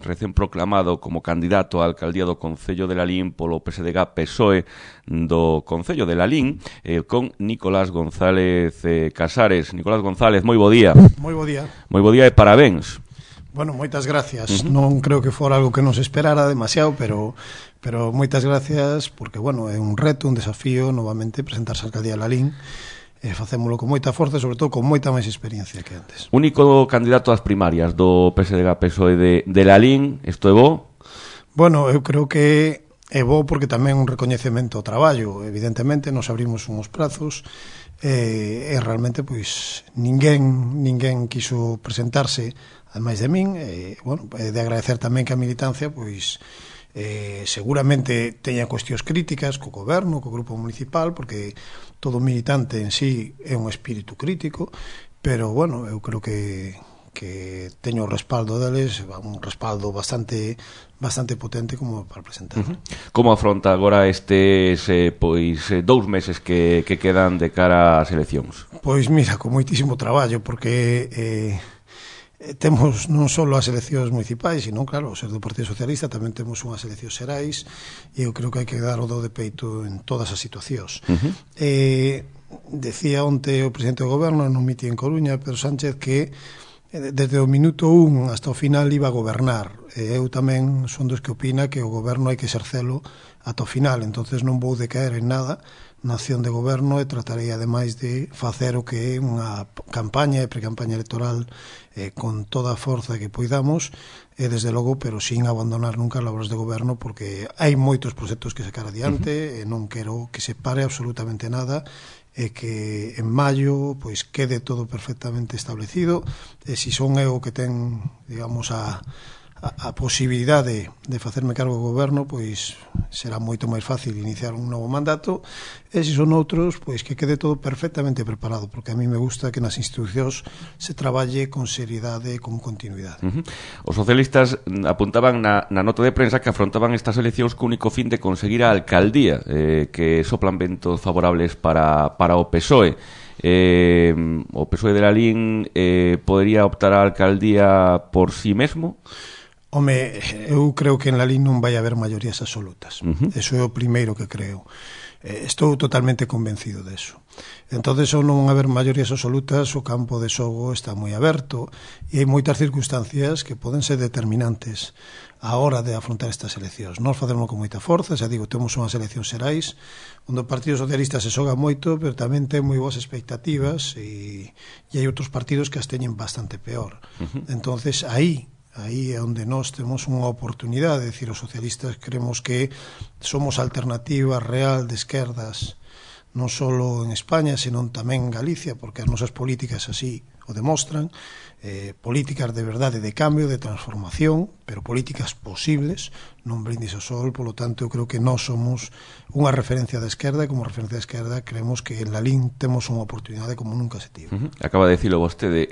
recén proclamado como candidato á alcaldía do Concello de Lalín polo PSDG-PSOE do Concello de Lalín, con Nicolás González Casares. Nicolás González, moi bo día. Moi bo día. Moi bo día e parabéns. Bueno, moitas gracias. Non creo que fora algo que non se esperara demasiado, pero moitas gracias porque, bueno, é un reto, un desafío novamente presentarse á alcaldía de Lalín. Facémolo con moita forza e, sobre todo, con moita máis experiencia que antes. Único candidato ás primarias do PSDG-PSOE de Lalín, isto é bo? Bueno, eu creo que é bo porque tamén un recoñecemento ao traballo. Evidentemente, nos abrimos uns prazos e realmente, pois, ninguén quiso presentarse ademais de min. Bueno, de agradecer tamén que a militancia, pois, seguramente teña cuestións críticas co goberno, co grupo municipal, porque todo militante en sí é un espírito crítico, pero, bueno, eu creo que teño o respaldo deles, un respaldo bastante potente como para presentar. Como afronta agora estes 2 meses que quedan de cara ás eleccións? Pois mira, con moitísimo traballo, porque temos non só as eleccións municipais, sino, claro, o ser do Partido Socialista tamén temos unhas eleccións xerais, e eu creo que hai que dar o do de peito en todas as situacións. Decía onte o presidente do goberno nun mitin en Coruña, Pedro Sánchez, que desde o minuto 1 hasta o final iba a gobernar. Eu tamén son dos que opina que o goberno hai que exercelo ata o final, entonces non vou decaer en nada na acción de goberno e tratarei ademais de facer o que é unha campaña e pre-campaña electoral con toda a forza que poidamos e desde logo, pero sin abandonar nunca as labores de goberno, porque hai moitos proxectos que sacar adiante e non quero que se pare absolutamente nada e que en maio pois quede todo perfectamente establecido, e se son eu que ten, digamos, a posibilidade de facerme cargo do goberno, pois será moito máis fácil iniciar un novo mandato, e se son outros, pois que quede todo perfectamente preparado, porque a mí me gusta que nas institucións se traballe con seriedade e con continuidade. Os socialistas apuntaban na nota de prensa que afrontaban estas eleccións co único fin de conseguir a alcaldía, que soplan ventos favorables para o PSOE. O PSOE de Lalín podería optar á alcaldía por si mesmo? Home, eu creo que en Lalín non vai haber maiorías absolutas. Eso é o primeiro que creo. Estou totalmente convencido deso. Entonces, ao non haber maiorías absolutas, o campo de xogo está moi aberto e hai moitas circunstancias que poden ser determinantes a hora de afrontar estas eleccións. Nós facemos con moita forza, xa digo, temos unhas eleccións xerais onde o Partido Socialista se xoga moito, pero tamén ten moi boas expectativas e hai outros partidos que as teñen bastante peor. Entonces, aí é onde nós temos unha oportunidade, de decir, os socialistas creemos que somos alternativa real de esquerdas, non só en España, senón tamén en Galicia, porque as nosas políticas así o demostran, políticas de verdade, de cambio, de transformación, pero políticas posibles, non brindis ao sol. Polo tanto, eu creo que nós somos unha referencia da esquerda, e como referencia da esquerda creemos que en Lalín temos unha oportunidade como nunca se tivo. Acaba de dicilo vostede,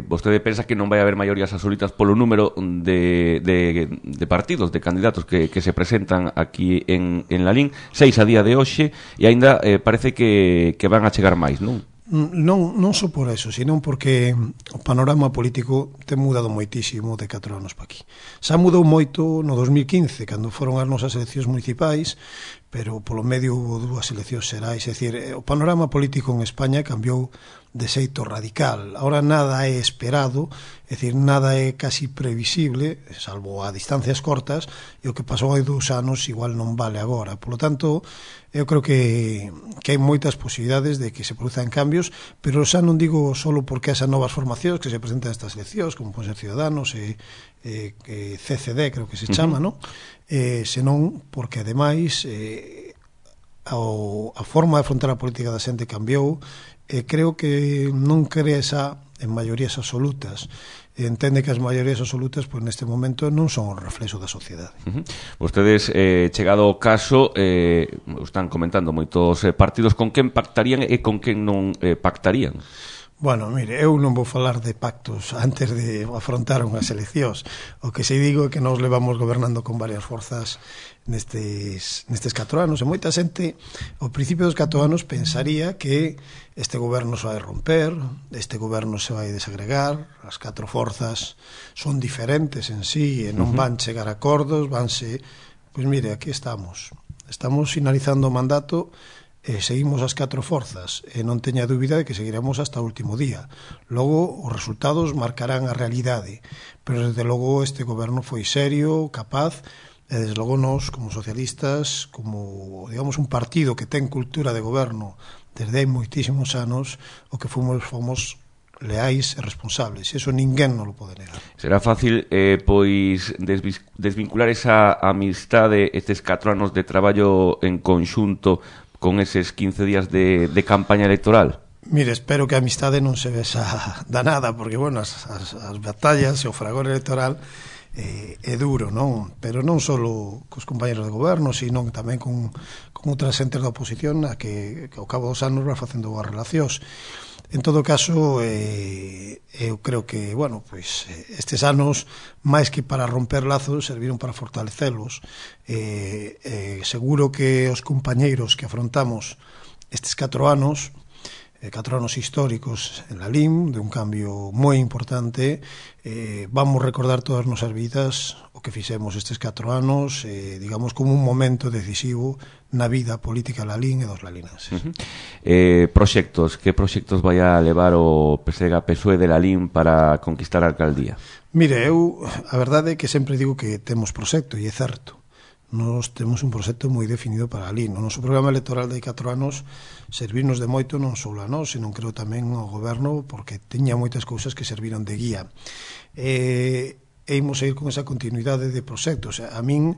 vostede pensa que non vai haber maiorías absolutas polo número de partidos, de candidatos que se presentan aquí en Lalín, 6 a día de hoxe, e aínda parece que van a chegar máis, non? Non só por eso, senón porque o panorama político ten mudado moitísimo de 4 anos para aquí. Xa mudou moito no 2015, cando foron as nosas eleccións municipais, pero polo medio hubo 2 eleccións xerais. É dicir, o panorama político en España cambiou de xeito radical. Ahora nada é esperado, é dicir, nada é casi previsible, salvo a distancias cortas, e o que pasou hai 2 anos igual non vale agora. Por lo tanto, eu creo que hai moitas posibilidades de que se produzan cambios, pero xa non digo só porque esas novas formacións que se presentan estas eleccións, como pode ser Ciudadanos e CCD, creo que se chama, non? Senón porque, ademais, a forma de afrontar a política da xente cambiou. Creo que non crea esa en maiorías absolutas. Entende que as maiorías absolutas, pois neste momento non son o reflexo da sociedade. Vostedes, chegado o caso, están comentando moitos partidos, con quen pactarían e con quen non pactarían? Bueno, mire, eu non vou falar de pactos antes de afrontar unhas eleccións. O que se digo é que nós levamos gobernando con varias forzas nestes 4 anos, e moita xente ao principio dos 4 anos pensaría que este goberno se vai romper, este goberno se vai desagregar, as 4 forzas son diferentes en sí e non van chegar a acordos, vanse... Pois mire, aquí estamos finalizando o mandato e seguimos as 4 forzas e non teña dúbida de que seguiremos hasta o último día. Logo, os resultados marcarán a realidade, pero desde logo este goberno foi serio, capaz, e desde logo nós, como socialistas, como, digamos, un partido que ten cultura de goberno desde hai moitísimos anos, o que fomos leais e responsables, e iso ninguén non lo pode negar. Será fácil, pois, desvincular esa amistade, estes 4 anos de traballo en conxunto con eses 15 días de campaña electoral? Mire, espero que a amistade non se vexa danada, porque, bueno, as batallas e o fragor electoral é duro, non? Pero non só cos compañeros de goberno, sino tamén con outras entes da oposición a que ao cabo dos anos va facendo boas relacións. En todo caso, eu creo que, bueno, pois estes anos, máis que para romper lazos, serviron para fortalecelos. Seguro que os compañeiros que afrontamos estes 4 anos, 4 anos históricos en la LIM, de un cambio moi importante, vamos recordar todas as nosas vidas o que fixemos estes 4 anos, digamos, como un momento decisivo na vida política la LIM e dos lalinenses. Proxectos, que proxectos vai a levar o PSDG-PSOE de la LIM para conquistar a alcaldía? Mire, a verdade é que sempre digo que temos proxecto, e é certo. Nós temos un proxecto moi definido para a LIM. O noso programa electoral de 4 anos servirnos de moito non só a nós, senón creo tamén ao goberno, porque teña moitas cousas que serviron de guía. E imos a ir con esa continuidade de proxectos. A min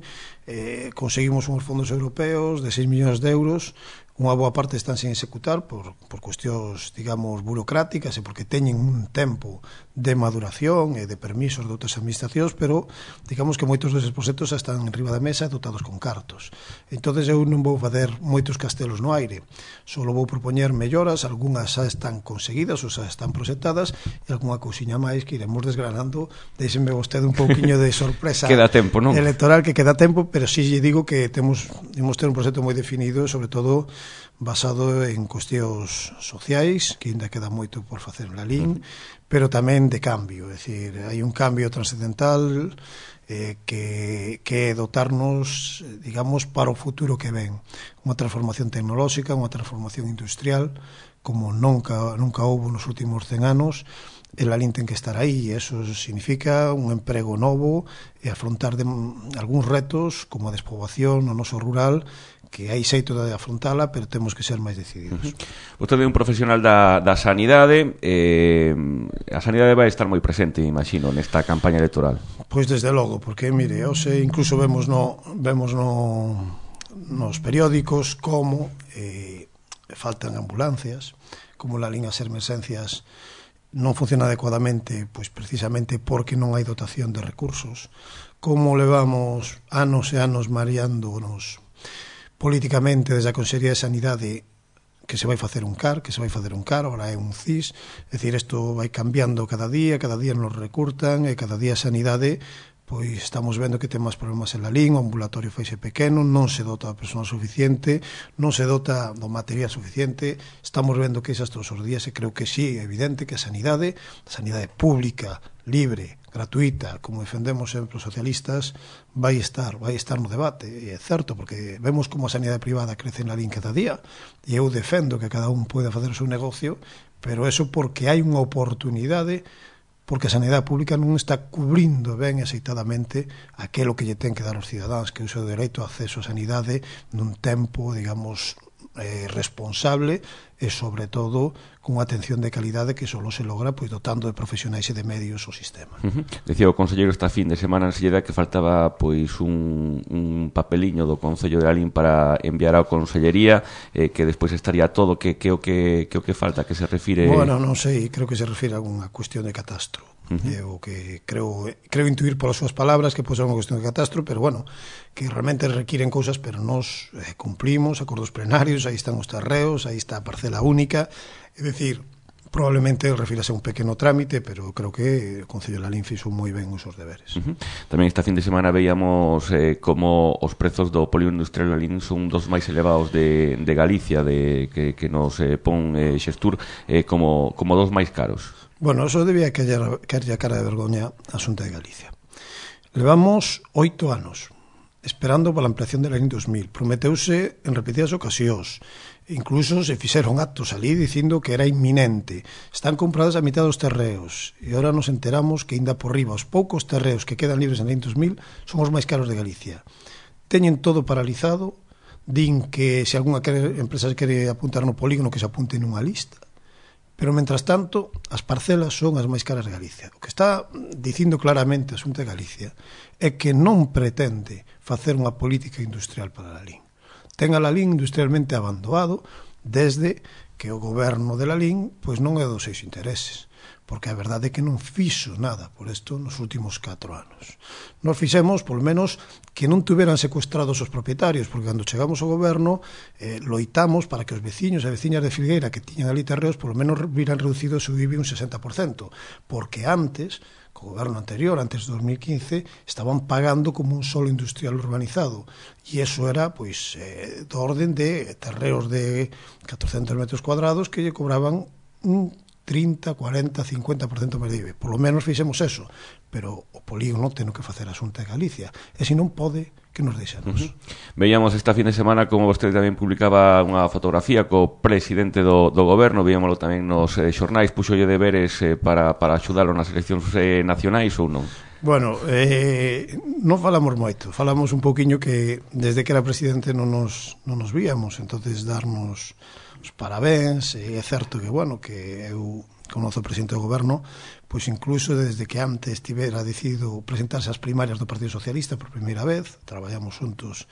conseguimos uns fondos europeos de 6 millóns de euros, unha boa parte están sen executar por cuestións, digamos, burocráticas e porque teñen un tempo de maduración e de permisos de outras administracións, pero digamos que moitos deses proxectos están en riba da mesa dotados con cartos. Entonces eu non vou fazer moitos castelos no aire, só vou propoñer melloras, algunhas xa están conseguidas ou xa están proxectadas e algunha cousiña máis que iremos desgranando. Deixenme vostede un pouquiño de sorpresa queda tempo, non? Electoral, que queda tempo, pero sí lle digo que imos ter un proxecto moi definido, sobre todo basado en cuestións sociais, que ainda queda moito por facer na LIM, pero tamén de cambio, é dicir, hai un cambio transcendental que é dotarnos, digamos, para o futuro que ven, unha transformación tecnolóxica, unha transformación industrial como nunca houve nos últimos 100 anos. El LIM ten que estar aí, e eso significa un emprego novo e afrontar algúns retos como a despoboación no noso rural, que hai xeito de afrontala, pero temos que ser máis decididos. Vostede é un profesional da sanidade, a sanidade vai estar moi presente, imagino, nesta campaña electoral. Pois desde logo, porque, mire, hoxe incluso vemos nos periódicos como faltan ambulancias, como la LIM as emerxencias non funciona adecuadamente, pois precisamente porque non hai dotación de recursos, como levamos anos e anos mareándonos políticamente desde a Consellería de Sanidade que se vai facer un CAR, agora é un CIS, é dicir, isto vai cambiando cada día nos recurtan, e cada día a sanidade, pois estamos vendo que ten máis problemas en la LIM, o ambulatorio faise pequeno, non se dota a persoal suficiente, non se dota do material suficiente, estamos vendo que esas todos os días, e creo que sí, é evidente que a sanidade pública, libre, gratuita, como defendemos sempre os socialistas, vai estar no debate, e é certo, porque vemos como a sanidade privada crece na LIM cada día, e eu defendo que cada un poida facer o seu negocio, pero eso porque hai unha oportunidade, porque a sanidade pública non está cubrindo ben aceitadamente aquilo que lle ten que dar aos cidadáns, que é o seu dereito a acceso a sanidade nun tempo, digamos, responsable e, sobre todo, con atención de calidade que só se logra pois dotando de profesionais e de medios o sistema. Decía o conselleiro esta fin de semana en Silleda que faltaba pois un papeliño do Concello de Lalín para enviar á Consellería, que despois estaría todo, que o que falta, que se refire... Bueno, non sei, creo que se refire a unha cuestión de catastro. O que creo intuir polas súas palabras que pode ser unha cuestión de catastro, pero bueno, que realmente requiren cousas, pero nós cumplimos acordos plenarios, aí están os terreos, aí está a parcela única, é dicir, probablemente refírase a un pequeno trámite, pero creo que o Concello de Lalín fixo moi ben os seus deberes. Tamén esta fin de semana veíamos como os prezos do polígono industrial Lalín son dos máis elevados de Galicia, que nos pon Xestur como dos máis caros. Bueno, eso debía caerlle a cara de vergoña a Xunta de Galicia. Levamos 8 anos esperando para a ampliación de Lalín 2000. Prometeuse en repetidas ocasións. Incluso se fixeron actos ali dicindo que era inminente. Están compradas a mitad dos terreos. E agora nos enteramos que ainda por riba os poucos terreos que quedan libres en Lalín 2000 son os máis caros de Galicia. Teñen todo paralizado. Din que se algunha empresa se quere apuntar no polígono que se apunte nunha lista. Pero, mentras tanto, as parcelas son as máis caras de Galicia. O que está dicindo claramente a Xunta de Galicia é que non pretende facer unha política industrial para Lalín. Ten a Lalín industrialmente abandonado desde que o goberno de Lalín pois non é dos seus intereses, porque a verdade é que non fixo nada por isto nos últimos 4 anos. Nos fixemos, polo menos, que non tuveran secuestrados os propietarios, porque cando chegamos ao goberno loitamos para que os veciños e veciñas de Filgueira que tiñan ali terreos polo menos viran reducido o seu IBI un 60%, porque antes, co goberno anterior, antes de 2015, estaban pagando como un solo industrial urbanizado, e iso era, pois, do orden de terreos de 400 metros cuadrados que lle cobraban un 30, 40, 50% máis de IBI. Por lo menos fixemos eso, pero o polígono ten que facer a Xunta de Galicia, e se non pode, que nos deixamos. Veíamos esta fin de semana como vostede tamén publicaba unha fotografía co presidente do goberno, veíamoslo tamén nos xornais, puxolle deberes para axudalo nas eleccións nacionais ou non? Bueno, non falamos moito, falamos un pouquiño que desde que era presidente non nos víamos, entonces darnos os parabéns, e é certo que, bueno, que eu conozo o presidente do goberno, pois incluso desde que antes tivera decidido presentarse ás primarias do Partido Socialista por primeira vez, traballamos juntos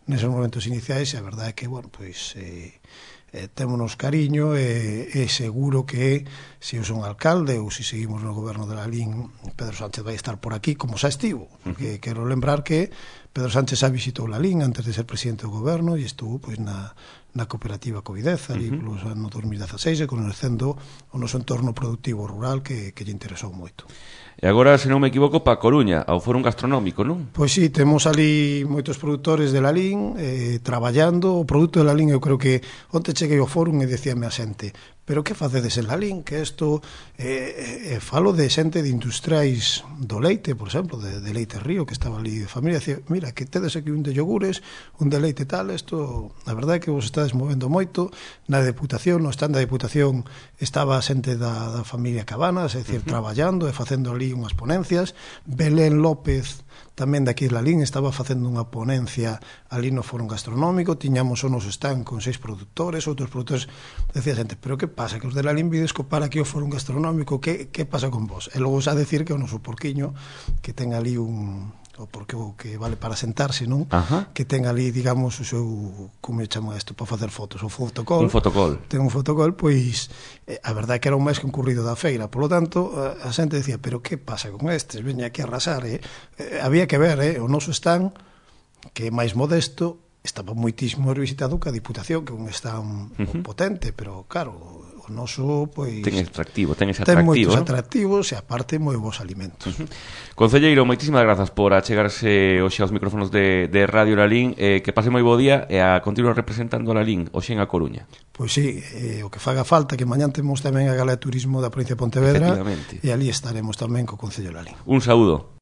neses momentos iniciais, e a verdade é que, bueno, pois témonos cariño, e seguro que se eu son alcalde ou se seguimos no goberno de Lalín, Pedro Sánchez vai estar por aquí como xa estivo, porque quero lembrar que Pedro Sánchez xa visitou Lalín antes de ser presidente do goberno e estuvo pois na cooperativa Covidez ali polos anos 2016 e conhecendo o noso entorno productivo rural que lle interesou moito. E agora, se non me equivoco, pa Coruña, ao Fórum Gastronómico, non? Pois sí, temos ali moitos produtores de Lalín traballando. O produto de Lalín, eu creo que onte cheguei ao Fórum e decíame a xente, pero que facedes en Lalín? Que isto falo de xente de industriais do leite, por exemplo, de Leite Río, que estaba ali de familia, decía, mira, que tedes aquí un de yogures, un de leite tal, isto, a verdade é que vos estades movendo moito. Na Deputación, no stand da Deputación, estaba a xente da familia Cabanas, é dicir, traballando e facendo ali unhas ponencias. Belén López, tamén daqui de Lalín, estaba facendo unha ponencia ali no Fórum Gastronómico. Tiñamos o noso stand con 6 produtores, outros produtores. Decía xente, pero que pasa, que os de Lalín vides copar aquí o Fórum Gastronómico, que pasa con vos? E logo xa decir que o noso porquiño, que ten ali o porqueo que vale para sentarse, non? Que ten ali, digamos, o seu, como chama isto, para facer fotos, o fotocol. Un fotocol. Ten un fotocol, pois a verdade é que era o máis concurrido da feira. Por lo tanto, a xente decía, pero que pasa con estes? Veña aquí a arrasar, había que ver, o noso stand, que é máis modesto, estaba moitísimo visitado que a Diputación, que é un stand potente, pero claro, o noso, pois, ten ese atractivo, ten moitos atractivos e aparte moi bons alimentos. Concelleiro, moitísimas grazas por achegarse hoxe aos micrófonos de Radio Lalín, que pase moi bo día e a continuar representando a Lalín hoxe en A Coruña. Pois sí, o que faga falta, que mañán temos tamén a Gala de Turismo da provincia de Pontevedra, e ali estaremos tamén co Concello de Lalín. Un saúdo.